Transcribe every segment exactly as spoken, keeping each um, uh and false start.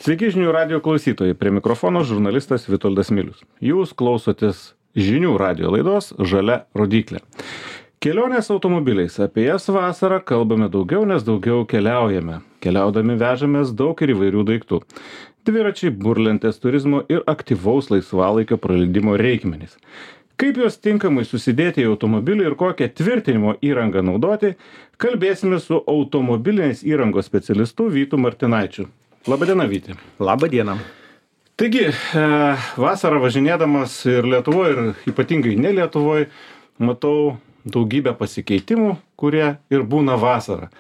Sveiki žinių radijo klausytojai, prie mikrofono žurnalistas Vitoldas Milius. Jūs klausotės žinių radijo laidos Žalia rodyklė. Kelionės automobiliais, apie jas vasarą kalbame daugiau, nes daugiau keliaujame. Keliaudami vežamės daug ir įvairių daiktų. Dviračiai, burlentės, turizmo ir aktyvaus laisvalaikio praleidimo reikmenys. Kaip juos tinkamai susidėti į automobilį ir kokią tvirtinimo įrangą naudoti, kalbėsime su automobilinės įrangos specialistu Vytu Martinaičiu. Labadiena, Vyti. Labadiena. Taigi, e, vasarą važinėdamas ir Lietuvoje, ir ypatingai ne Lietuvoje, matau daugybę pasikeitimų, kurie ir būna vasarą.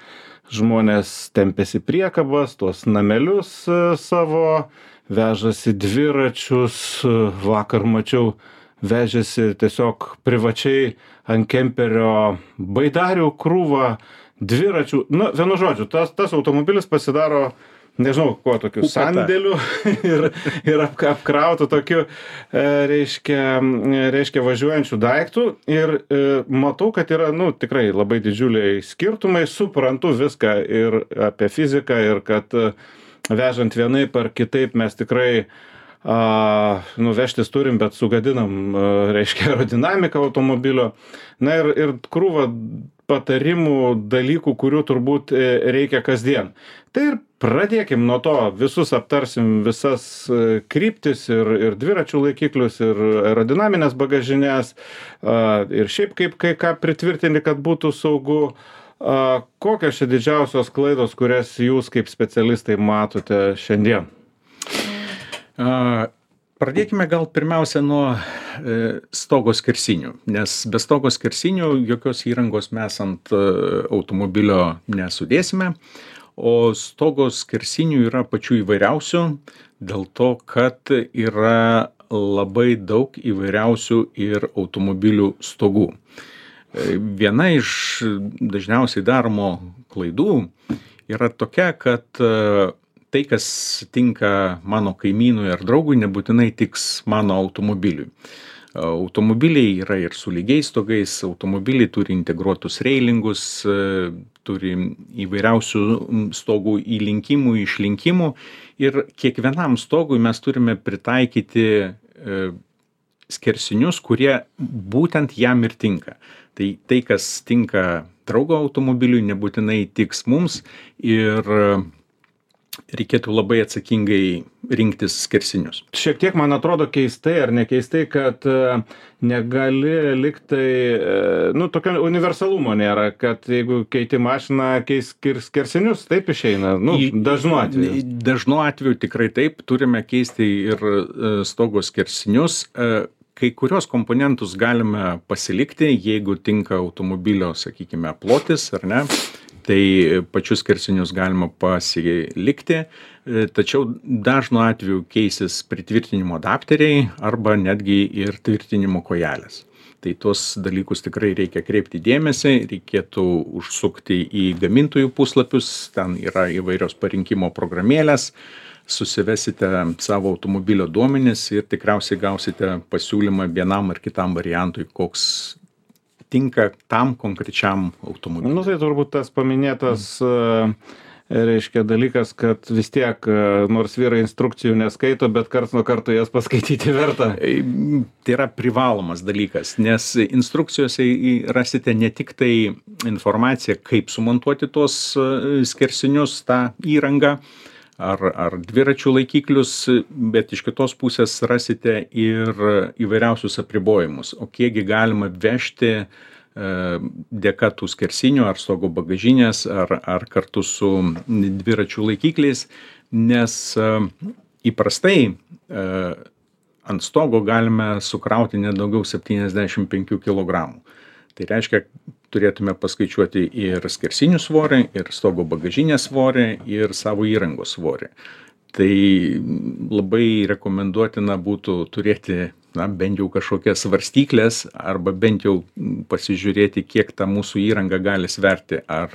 Žmonės tempėsi priekabas, tuos namelius e, savo, vežasi dviračius, e, vakar mačiau, vežėsi tiesiog privačiai ant kemperio baidarių krūvą, dviračių. Nu, vienu žodžiu, tas, tas automobilis pasidaro, nežinau, kuo tokiu sandėliu ir, ir ap, apkrautų tokiu, e, reiškia, reiškia važiuojančių daiktų. Ir e, matau, kad yra, nu, tikrai labai didžiuliai skirtumai, suprantu viską ir apie fiziką, ir kad e, vežant vienaip ar kitaip mes tikrai a, nuvežtis turim, bet sugadinam, a, reiškia, aerodinamiką automobilio. Na ir, ir krūva patarimų, dalykų, kurių turbūt e, reikia kasdien. Tai ir pradėkim nuo to, visus aptarsim visas e, kryptis ir, ir dviračių laikiklius, ir aerodinaminės bagažinės, a, ir šiaip kaip kai ką pritvirtinti, kad būtų saugu. A, kokios čia didžiausios klaidos, kurias jūs kaip specialistai matote šiandien? A, Pradėkime gal pirmiausia nuo e, stogo skersinių, nes be stogo skersinių jokios įrangos mes ant e, automobilio nesudėsime, o stogo skersinių yra pačių įvairiausių, dėl to, kad yra labai daug įvairiausių ir automobilių stogų. E, viena iš dažniausiai daromo klaidų yra tokia, kad e, tai, kas tinka mano kaimynui ar draugui, nebūtinai tiks mano automobiliui. Automobiliai yra ir su lygiais stogais, automobiliai turi integruotus reilingus, turi įvairiausių stogų įlinkimų, išlinkimų ir kiekvienam stogui mes turime pritaikyti skersinius, kurie būtent jam ir tinka. Tai tai, kas tinka draugo automobiliui, nebūtinai tiks mums ir reikėtų labai atsakingai rinktis skersinius. Šiek tiek man atrodo keistai ar nekeistai, kad negali liktai, nu, tokio universalumo nėra, kad jeigu keiti mašiną, keis skersinius, taip išeina, nu, dažnu atveju. Dažnu atveju tikrai taip, turime keisti ir stogo skersinius. Kai kurios komponentus galime pasilikti, jeigu tinka automobilio, sakykime, plotis, ar ne? Tai pačius skersinius galima pasilikti, tačiau dažnu atveju keisis pritvirtinimo adapteriai arba netgi ir tvirtinimo kojelės. Tai tuos dalykus tikrai reikia kreipti dėmesį, reikėtų užsukti į gamintojų puslapius, ten yra įvairios parinkimo programėlės, susivesite savo automobilio duomenis ir tikriausiai gausite pasiūlymą vienam ar kitam variantui, koks tinka tam konkrečiam automobiliui. Nu, tai turbūt tas paminėtas, mm. reiškia, dalykas, kad vis tiek, nors vyrai instrukcijų neskaito, bet karts nuo karto jas paskaityti verta. Tai yra privalomas dalykas, nes instrukcijose rasite ne tik tai informaciją, kaip sumontuoti tuos skersinius, tą įrangą, ar, ar dviračių laikiklius, bet iš kitos pusės rasite ir įvairiausius apribojimus, o kiekgi galima vežti e, dėka tų skersinių ar stogo bagažinės, ar, ar kartu su dviračių laikikliais, nes e, įprastai e, ant stogo galime sukrauti nedaugiau septyniasdešimt penkių kilogramų. Tai reiškia, turėtume paskaičiuoti ir skersinių svorį, ir stogo bagažinės svorį, ir savo įrangos svorį. Tai labai rekomenduotina būtų turėti na, bent jau kažkokias svarstyklės arba bent jau pasižiūrėti, kiek ta mūsų įranga gali sverti, ar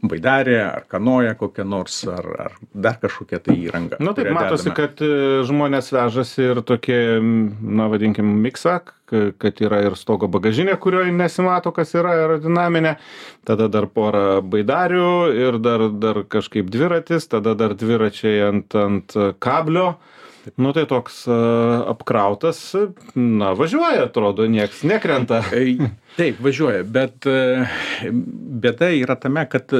baidarė, ar kanoja kokia nors, ar, ar dar kažkokia tai įranga. Na taip, matosi, dedame. kad žmonės vežasi ir tokie, na vadinkim, miksą, kad yra ir stogo bagažinė, kurioje nesimato, kas yra aerodinaminė, tada dar porą baidarių ir dar, dar kažkaip dviratis, tada dar dviračiai ant, ant kablio. Nu tai toks uh, apkrautas, na važiuoja, atrodo, nieks nekrenta. Taip, važiuoja, bet bėda yra tame, kad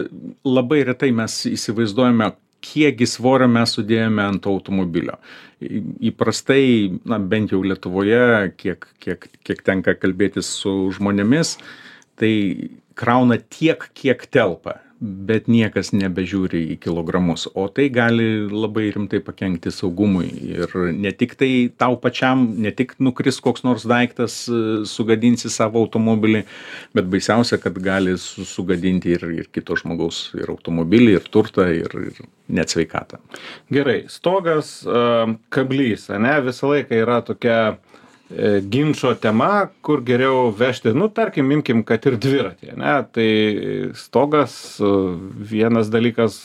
labai retai mes įsivaizduojame, kiekgi svorio mes sudėjome ant automobilio. Įprastai, na bent jau Lietuvoje, kiek, kiek, kiek tenka kalbėtis su žmonėmis, tai krauna tiek, kiek telpa, bet niekas nebežiūri į kilogramus, o tai gali labai rimtai pakenkti saugumui ir ne tik tai tau pačiam, ne tik nukris koks nors daiktas, sugadinsi savo automobilį, bet baisiausia, kad gali sugadinti ir, ir kito žmogaus ir automobilį, ir turtą, ir, ir net sveikatą. Gerai, stogas, kablys, ane, visą laiką yra tokia ginčo tema, kur geriau vežti, nu, tarkim, imkim, kad ir dviratį, ne, tai stogas, vienas dalykas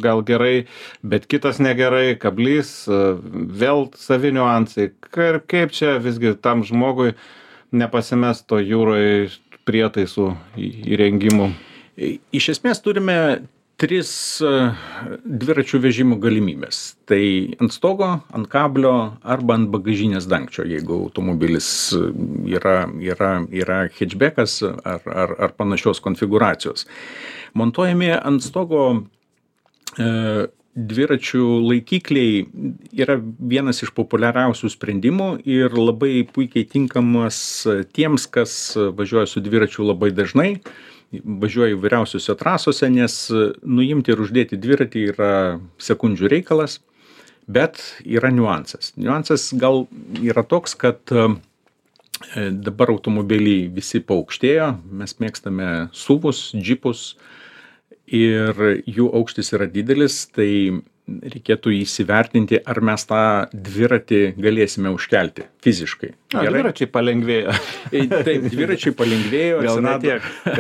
gal gerai, bet kitas negerai, kablys, vėl savi niuansai, kaip čia visgi tam žmogui nepasimesto jūroje prietaisų įrengimų. Iš esmės turime tris dviračių vežimo galimybės. Tai ant stogo, ant kablio arba ant bagažinės dangčio, jeigu automobilis yra, yra, yra hatchbackas ar, ar, ar panašios konfigūracijos. Montuojami ant stogo e, dviračių laikikliai yra vienas iš populiariausių sprendimų ir labai puikiai tinkamas tiems, kas važiuoja su dviračiu labai dažnai, važiuoja įvairiausiose trasose, nes nuimti ir uždėti dviratį yra sekundžių reikalas, bet yra niuansas. Niuansas gal yra toks, kad dabar automobiliai visi paaukštėjo, mes mėgstame suvus, džipus ir jų aukštis yra didelis, tai reikėtų įsivertinti, ar mes tą dviratį galėsime užkelti fiziškai. A, dviračiai palengvėjo. Taip, dviračiai palengvėjo, atsirado,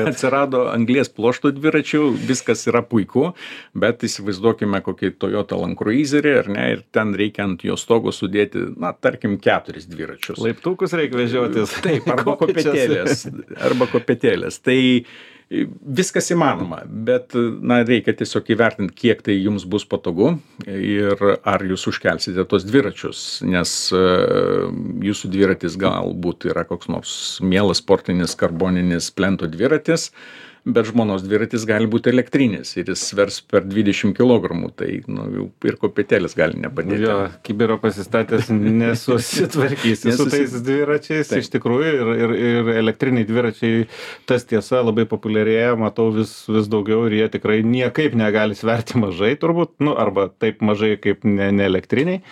atsirado anglies pluošto dviračių, viskas yra puiku, bet įsivaizduokime kokį Toyota Land Cruiserį, ar ne, ir ten reikia ant jo stogo sudėti, na, tarkim, keturis dviračius. Laiptukus reikia vežiotis. Taip, arba kopėtėlės. Arba kopėtėlės. Tai viskas įmanoma, bet na, reikia tiesiog įvertinti, kiek tai jums bus patogu ir ar jūs užkelsite tos dviračius, nes uh, jūsų dviratis galbūt yra koks nors mielas sportinis karboninis plento dviratis, bet žmonos dviratis gali būti elektrinis ir jis svers per dvidešimt kilogramų, tai nu, jau ir kopėtėlis gali nepadėti. Jo, kibiro pasistatęs nesusitvarkysi su tais dviračiais, taip. Iš tikrųjų, ir, ir, ir elektriniai dviračiai, tas tiesa, labai populiarėja, matau vis, vis daugiau ir jie tikrai niekaip negali sverti mažai turbūt, nu, arba taip mažai kaip ne, ne elektriniai.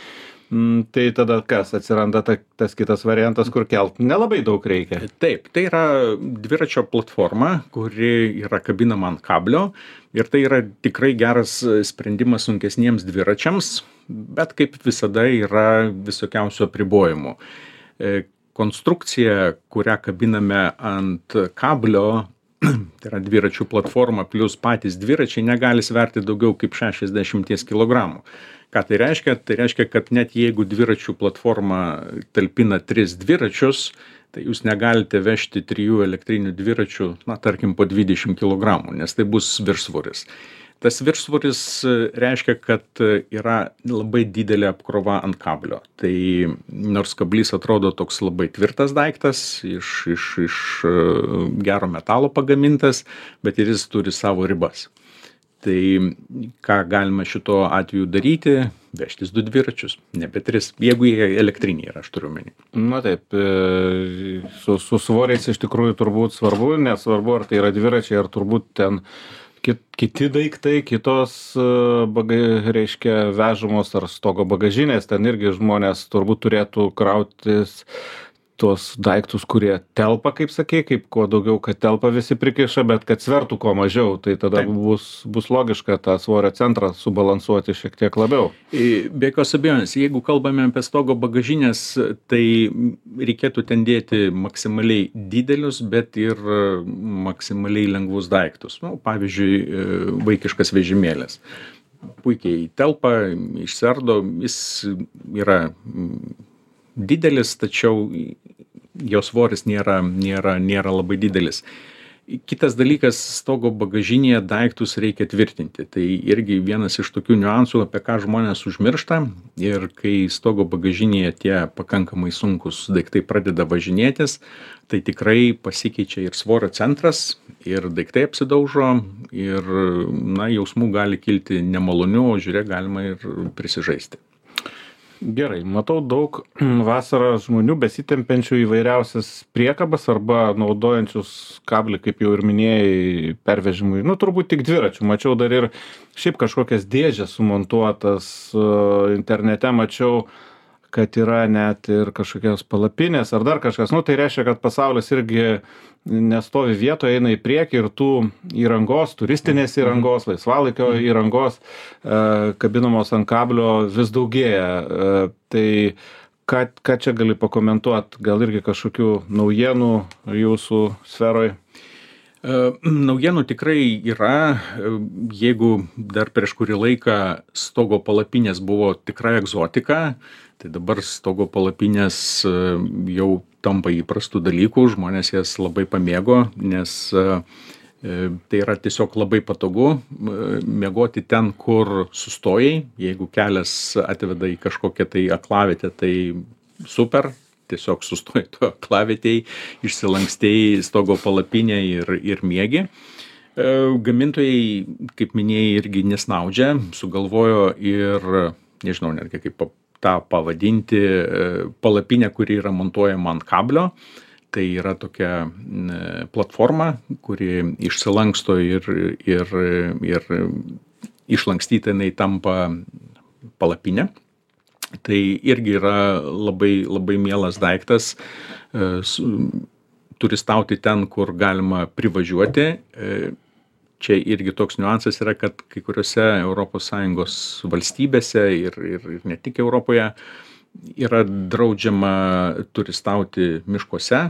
Mm, tai tada kas, atsiranda ta, tas kitas variantas, kur kelt nelabai daug reikia. Taip, tai yra dviračio platforma, kuri yra kabinama ant kablio ir tai yra tikrai geras sprendimas sunkesniems dviračiams, bet kaip visada yra visokiausių apribojimų. Konstrukcija, kurią kabiname ant kablio, tai yra dviračių platforma plus patys dviračiai, negali sverti daugiau kaip šešiasdešimt kilogramų. Ką tai reiškia? Tai reiškia, kad net jeigu dviračių platforma talpina tris dviračius, tai jūs negalite vežti trijų elektrinių dviračių, na, tarkim, po dvidešimt kilogramų, nes tai bus viršsvoris. Tas viršsvoris reiškia, kad yra labai didelė apkrova ant kablio. Tai nors kablys atrodo toks labai tvirtas daiktas, iš, iš, iš gero metalo pagamintas, bet ir jis turi savo ribas. Tai ką galima šito atveju daryti, vežtis du dviračius, nebe tris, jeigu jie elektriniai yra, aš turiu menį. Na taip, su, su svoriais iš tikrųjų turbūt svarbu, nesvarbu, ar tai yra dviračiai, ar turbūt ten kit, kiti daiktai, kitos, baga, reiškia, vežamos ar stogo bagažinės, ten irgi žmonės turbūt turėtų krautis tuos daiktus, kurie telpa, kaip sakė, kaip kuo daugiau, kad telpa visi prikiša, bet kad svertų kuo mažiau, tai tada Taip. bus, bus logiška tą svorio centrą subalansuoti šiek tiek labiau. Be jokios abejonės, jeigu kalbame apie stogo bagažinės, tai reikėtų ten dėti maksimaliai didelius, bet ir maksimaliai lengvus daiktus. Nu, pavyzdžiui, vaikiškas vežimėlis. Puikiai telpa, išsiardo, jis yra didelis, tačiau jo svoris nėra, nėra, nėra labai didelis. Kitas dalykas, stogo bagažinėje daiktus reikia tvirtinti. Tai irgi vienas iš tokių niuansų, apie ką žmonės užmiršta. Ir kai stogo bagažinėje tie pakankamai sunkus daiktai pradeda važinėtis, tai tikrai pasikeičia ir svorio centras, ir daiktai apsidaužo, ir na, jausmų gali kilti nemalonių, o žiūrėk, galima ir prisižaisti. Gerai, matau daug vasarą žmonių besitempiančių įvairiausias priekabas arba naudojančius kablį, kaip jau ir minėjai, pervežimui. Nu, turbūt tik dviračių. Mačiau dar ir šiaip kažkokias dėžės sumontuotas internete, mačiau, kad yra net ir kažkokios palapinės ar dar kažkas. Nu, tai reiškia, kad pasaulis irgi nestovi vietoje, eina į priekį ir tų įrangos, turistinės įrangos, laisvalaikio įrangos, kabinamos ant kablio vis daugėja. Tai ką, ką čia gali pakomentuoti? Gal irgi kažkokių naujienų jūsų sferoje? Naujienų tikrai yra. Jeigu dar prieš kurį laiką stogo palapinės buvo tikra egzotika, tai dabar stogo palapinės jau tampa įprastų dalykų, žmonės jas labai pamėgo, nes tai yra tiesiog labai patogu miegoti ten, kur sustojai. Jeigu kelias atveda į kažkokią tai aklavietę, tai super, tiesiog sustoji to aklavietėj, išsilankstėjai stogo palapinę ir, ir miegi. Gamintojai, kaip minėjai, irgi nesnaudžia, sugalvojo ir, nežinau netgi kaip tą pavadinti, palapinę, kuri yra montuojama ant kablio. Tai yra tokia platforma, kuri išsilanksto ir, ir, ir išlankstyta jinai tampa palapinė. Tai irgi yra labai, labai mielas daiktas, turistauti ten, kur galima privažiuoti. Čia irgi toks niuansas yra, kad kai kuriuose Europos Sąjungos valstybėse ir, ir, ir ne tik Europoje yra draudžiama turistauti miškuose,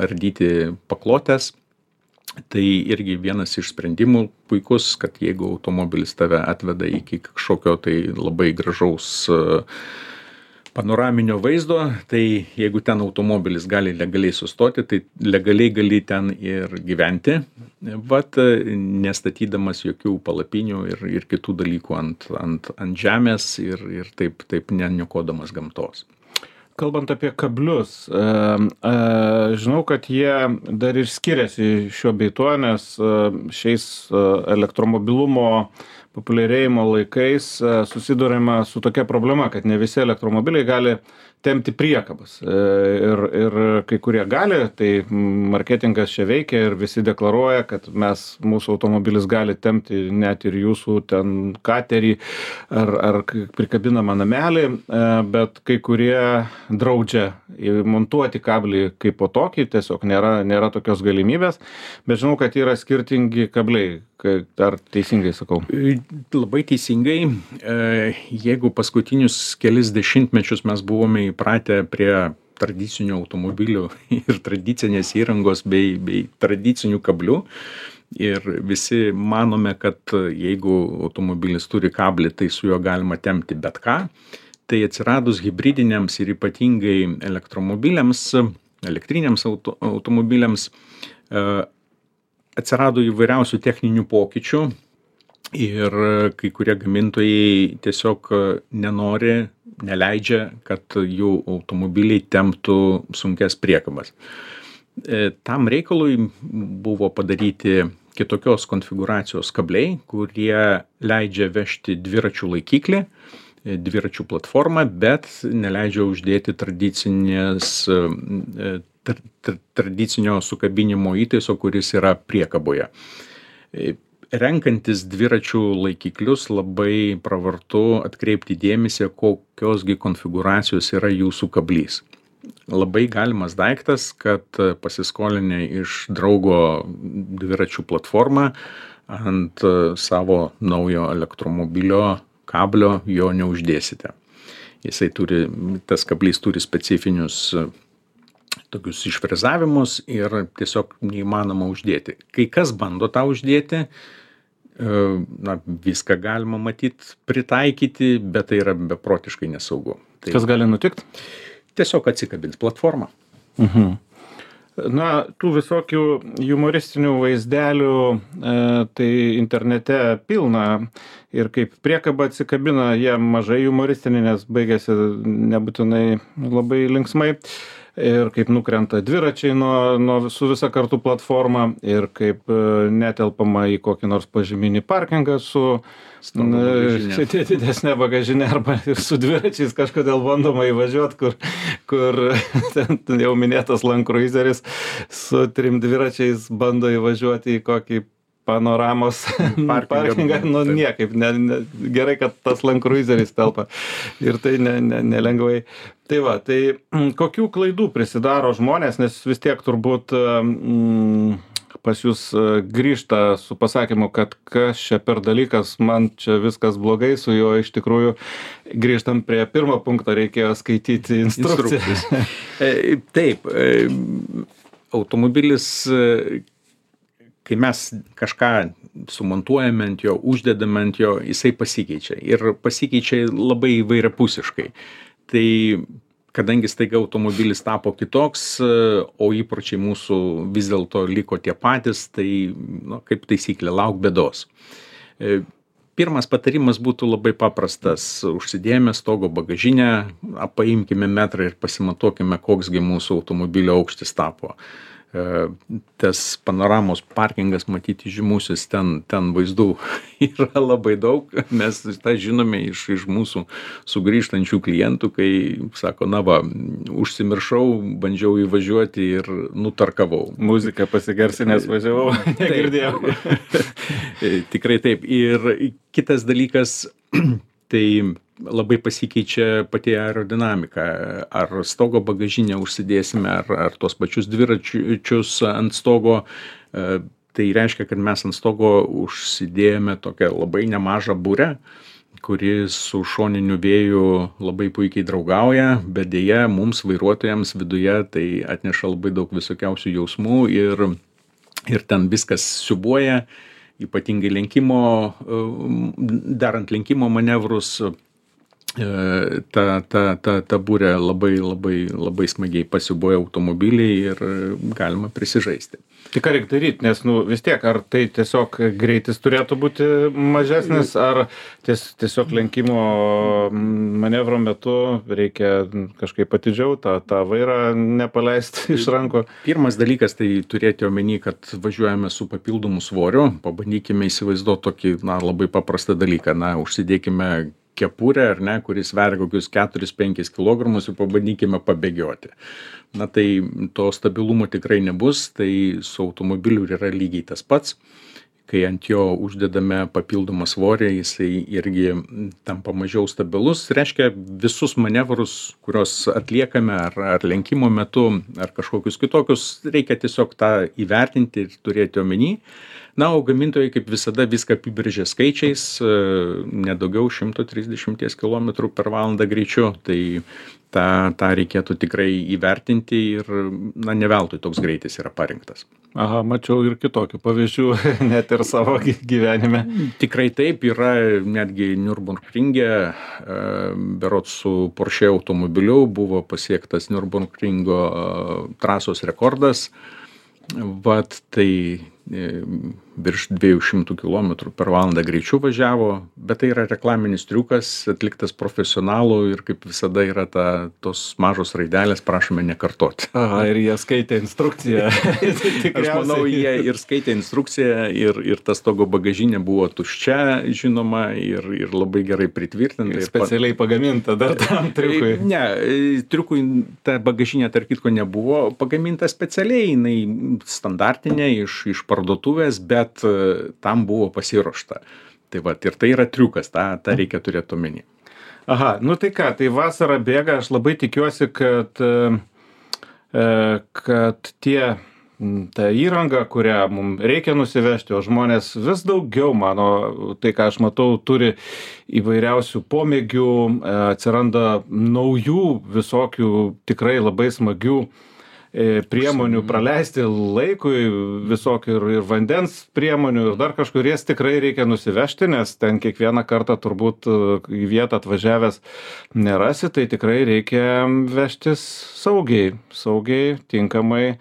ardyti paklotės. Tai irgi vienas iš sprendimų puikus, kad jeigu automobilis tave atveda iki kažkokio tai labai gražaus panoraminio vaizdo, tai jeigu ten automobilis gali legaliai sustoti, tai legaliai gali ten ir gyventi, vat, nestatydamas jokių palapinių ir, ir kitų dalykų ant, ant, ant žemės ir, ir taip, taip neniokodamas gamtos. Kalbant apie kablius, žinau, kad jie dar ir skiriasi šiuo bei tuo, nes šiais elektromobilumo populiarėjimo laikais susiduriama su tokia problema, kad ne visi elektromobiliai gali tempti priekabas. Ir, ir kai kurie gali, tai marketingas čia veikia ir visi deklaruoja, kad mes, mūsų automobilis gali tempti net ir jūsų ten katerį ar, ar prikabinamą namelį, bet kai kurie draudžia montuoti kablį kaip po tokį, tiesiog nėra, nėra tokios galimybės, bet žinau, kad yra skirtingi kabliai. Ar teisingai sakau? Labai teisingai. Jeigu paskutinius kelis dešimtmečius mes buvome įpratę prie tradicinių automobilių ir tradicinės įrangos bei, bei tradicinių kablių, ir visi manome, kad jeigu automobilis turi kablį, tai su juo galima tempti bet ką, tai atsiradus hibridiniams ir ypatingai elektromobiliams, elektriniams auto, automobiliams, atsirado įvairiausių techninių pokyčių ir kai kurie gamintojai tiesiog nenori, neleidžia, kad jų automobiliai temptų sunkias priekabas. Tam reikalui buvo padaryti kitokios konfigūracijos kabliai, kurie leidžia vežti dviračių laikiklį, dviračių platformą, bet neleidžia uždėti tradicinės tradicinio sukabinimo įtaiso, kuris yra priekaboje. Renkantis dviračių laikiklius labai pravartu atkreipti dėmesį, kokiosgi konfigūracijos yra jūsų kablys. labai galimas daiktas, kad pasiskolinę iš draugo dviračių platformą ant savo naujo elektromobilio kablio jo neuždėsite. Jisai turi, tas kablys turi specifinius tokius išfrezavimus ir tiesiog neįmanoma uždėti. Kai kas bando tą uždėti, na, viską galima matyti, pritaikyti, bet tai yra beprotiškai nesaugu. Tai kas gali nutikti? Tiesiog atsikabins platformą. Mhm. Na, tų visokių humoristinių vaizdelių e, tai internete pilna ir kaip priekaba atsikabina, jie mažai humoristiniai, nes baigėsi nebūtinai labai linksmai. Ir kaip nukrenta dviračiai nuo, nuo su visa kartu platforma ir kaip netelpama į kokį nors pažyminį parkingą su didesnė bagažinė arba ir su dviračiais kažkodėl bandoma įvažiuoti, kur, kur ten jau minėtas Land Cruiseris su trim dviračiais bando įvažiuoti į kokį panoramos parkingą, nu niekaip, ne, ne, gerai, kad tas Land Cruiseris telpa ir tai ne, ne, nelengvai. Tai va, tai kokių klaidų prisidaro žmonės, nes vis tiek turbūt mm, pas jūs grįžta su pasakymu, kad kas čia per dalykas, man čia viskas blogai su juo, iš tikrųjų grįžtam prie pirmo punkto, reikėjo skaityti instrukcijas. Taip, automobilis, kai mes kažką sumontuojame ant jo, uždedame ant jo, jisai pasikeičia ir pasikeičia labai įvairiapusiškai. Tai kadangi staiga automobilis tapo kitoks, o įpročiai mūsų vis dėlto liko tie patys, tai nu, kaip taisyklė, lauk bėdos. Pirmas patarimas būtų labai paprastas. Užsidėjome stogo bagažinę, paimkime metrą ir pasimatuokime, koksgi mūsų automobilio aukštis tapo. Tas panoramos parkingas, matyti žymusis, ten, ten vaizdų yra labai daug, mes tą žinome iš, iš mūsų sugrįžtančių klientų, kai sako, na va, užsimiršau, bandžiau įvažiuoti ir nutarkavau. Muziką pasigarsinęs važiavau, negirdėjau. Tikrai taip. Ir kitas dalykas, tai labai pasikeičia pati aerodinamika. Ar stogo bagažinę užsidėsime, ar, ar tos pačius dviračius ant stogo. Tai reiškia, kad mes ant stogo užsidėjome tokią labai nemažą burę, kuri su šoniniu vėju labai puikiai draugauja, bet dėja mums vairuotojams viduje tai atneša labai daug visokiausių jausmų ir, ir ten viskas siūbuoja, ypatingai lenkimo, darant lenkimo manevrus. Ta, ta, ta, ta burė labai, labai, labai smagiai pasiuboja automobiliai ir galima prisižaisti. Tai ką reikia daryti, nes nu, vis tiek, ar tai tiesiog greitis turėtų būti mažesnis, ar ties, tiesiog lenkimo manevro metu reikia kažkaip atidžiau tą, tą vairą nepaleisti iš rankų? Pirmas dalykas tai turėti omeny, kad važiuojame su papildomu svoriu, pabandykime įsivaizduoti tokį na, labai paprastą dalyką, na, užsidėkime kepurę, ar ne, kuris sveria kokius keturis penkis kilogramus ir pabandykime pabėgioti. Na tai to stabilumo tikrai nebus, tai su automobiliu yra lygiai tas pats. Kai ant jo uždedame papildomą svorį, jisai irgi tampa mažiau stabilus. Reiškia, visus manevrus, kuriuos atliekame ar, ar lenkimo metu, ar kažkokius kitokius, reikia tiesiog tą įvertinti ir turėti omeny. Na, o gamintojai kaip visada viską apibrėžia skaičiais, nedaugiau šimto trisdešimt kilometrų per valandą greičiu, tai tą, tą reikėtų tikrai įvertinti ir na, ne veltui toks greitis yra parinktas. Aha, mačiau ir kitokių pavyzdžių, net ir savo gyvenime. Tikrai taip, yra netgi Nürburgringe, berods su Porsche automobiliu buvo pasiektas Nürburgringo trasos rekordas. Vat tai virš dviejų šimtų kilometrų per valandą greičiu važiavo, bet tai yra reklaminis triukas, atliktas profesionalų ir kaip visada yra ta, tos mažos raidelės, prašome nekartoti. Aha, ir jie skaitė instrukciją. Aš manau, jie ir skaitė instrukciją ir, ir tas stogo bagažinė buvo tuščia, žinoma, ir, ir labai gerai pritvirtinta. Specialiai pagaminta dar tam triukui. Ne, triukui ta bagažinė, tarp kitko, nebuvo pagaminta specialiai, jinai standartinė iš, iš parduotuvės, bet tam buvo pasiruošta. Tai va, ir tai yra triukas, tą, tą reikia turėti omeny. Aha, nu tai ką, tai vasara bėga, aš labai tikiuosi, kad kad tie ta įranga, kurią mums reikia nusivežti, o žmonės vis daugiau, mano, tai ką aš matau, turi įvairiausių pomėgių, atsiranda naujų visokių tikrai labai smagių priemonių praleisti laikui, visokių ir, ir vandens priemonių, ir dar kažkur jas tikrai reikia nusivežti, nes ten kiekvieną kartą turbūt į vietą atvažiavęs nerasi, tai tikrai reikia vežtis saugiai, saugiai, tinkamai,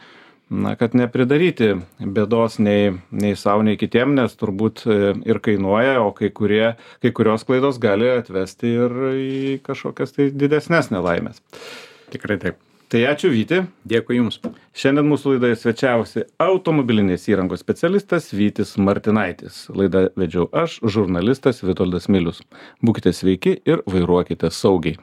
na, kad nepridaryti bėdos nei, nei savo, nei kitiem, nes turbūt ir kainuoja, o kai, kurie, kai kurios klaidos gali atvesti ir į kažkokias tai didesnės nelaimės. Tikrai taip. Tai ačiū, Vyti. Dėkui Jums. Šiandien mūsų laidoje svečiavosi automobilinės įrangos specialistas Vytis Martinaitis. Laidą vedžiau aš, žurnalistas Vitoldas Milius. Būkite sveiki ir vairuokite saugiai.